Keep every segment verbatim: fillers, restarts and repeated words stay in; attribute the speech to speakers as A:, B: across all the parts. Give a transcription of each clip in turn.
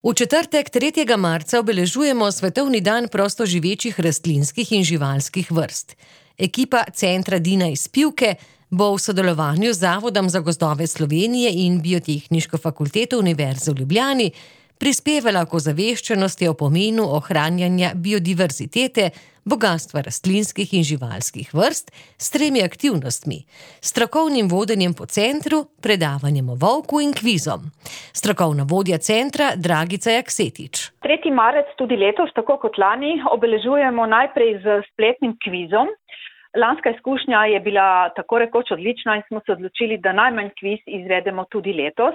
A: V četrtek, tretjega marca, obeležujemo Svetovni dan prostoživečih rastlinskih in živalskih vrst. Ekipa Centra Dina iz Pivke bo v sodelovanju z Zavodom za gozdove Slovenije in Biotehniško fakulteto Univerze v Ljubljani prispevala k ozaveščenosti o pomenu ohranjanja biodiverzitete, bogastva rastlinskih in živalskih vrst s tremi aktivnostmi: strokovnim vodenjem po centru, predavanjem o volku in kvizom. Strokovna vodja centra Dragica Jaksetič.
B: tretji marec tudi letos, tako kot lani, obeležujemo najprej z spletnim kvizom. Lanska izkušnja je bila tako rekoč odlična in smo se odločili, da najmanj kviz izvedemo tudi letos.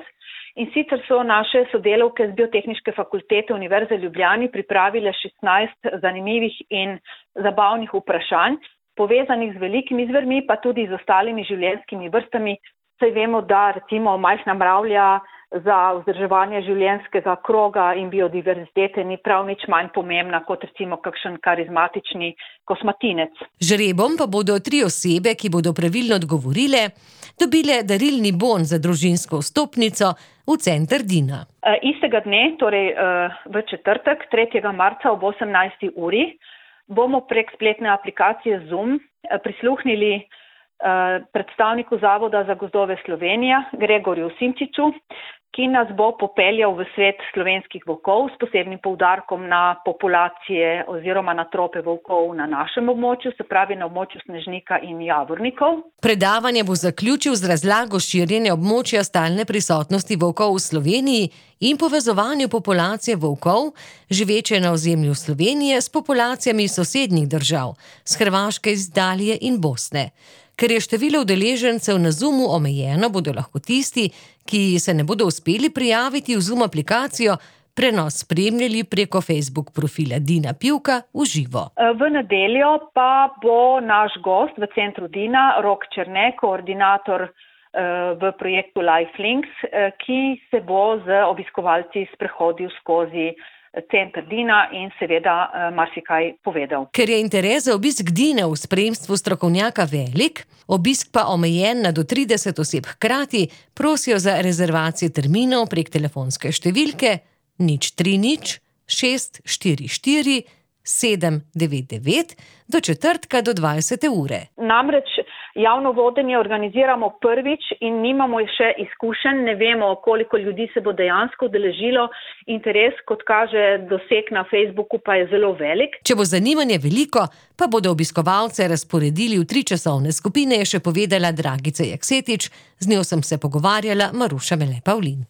B: In sicer so naše sodelavke z Biotehniške fakultete Univerze v Ljubljani pripravile šestnajst zanimivih in zabavnih vprašanj, povezanih z velikimi zvermi, pa tudi z ostalimi življenjskimi vrstami. Saj vemo, da recimo majhna mravlja za vzdrževanje življenjskega kroga in biodiverzitete ni prav nič manj pomembna kot recimo kakšen karizmatični kosmatinec.
A: Žrebom pa bodo tri osebe, ki bodo pravilno odgovorile, dobile darilni bon za družinsko vstopnico v Center Dina.
B: E, istega dne, torej e, v četrtek, tretjega marca ob osemnajsti uri, bomo prek spletne aplikacije Zoom prisluhnili predstavniku Zavoda za gozdove Slovenije, Gregorju Simčiču, ki nas bo popeljal v svet slovenskih volkov s posebnim poudarkom na populacije oziroma na trope volkov na našem območju, se pravi na območju Snežnika in Javornikov.
A: Predavanje bo zaključil z razlago širjenja območja stalne prisotnosti volkov v Sloveniji in povezovanju populacije volkov, živeče na ozemlju Slovenije, s populacijami sosednjih držav, s Hrvaške, iz Italije in Bosne. Ker je število udeležencev na Zoomu omejeno, bodo lahko tisti, ki se ne bodo uspeli prijaviti v Zoom aplikacijo, prenos spremljali preko Facebook profila Dina Pivka v živo.
B: V nedeljo pa bo naš gost v Centru Dina, Rok Černe, koordinator v projektu Lifelinks, ki se bo z obiskovalci sprehodil skozi Center Dina in seveda marsikaj povedal.
A: Ker je interes za obisk Dina v spremstvu strokovnjaka velik, obisk pa omejen na do trideset oseb hkrati, prosijo za rezervacije terminov prek telefonske številke nič tri nič šest štiri štiri sedem devet devet do četrtka do dvajsete ure.
B: Namreč javno vodenje organiziramo prvič in nimamo še izkušenj, ne vemo, koliko ljudi se bo dejansko udeležilo. Interes, kot kaže doseg na Facebooku, pa je zelo velik.
A: Če bo zanimanje veliko, pa bodo obiskovalce razporedili v tri časovne skupine, je še povedala Dragica Jaksetič, z njo sem se pogovarjala Maruša Mele Pavlin.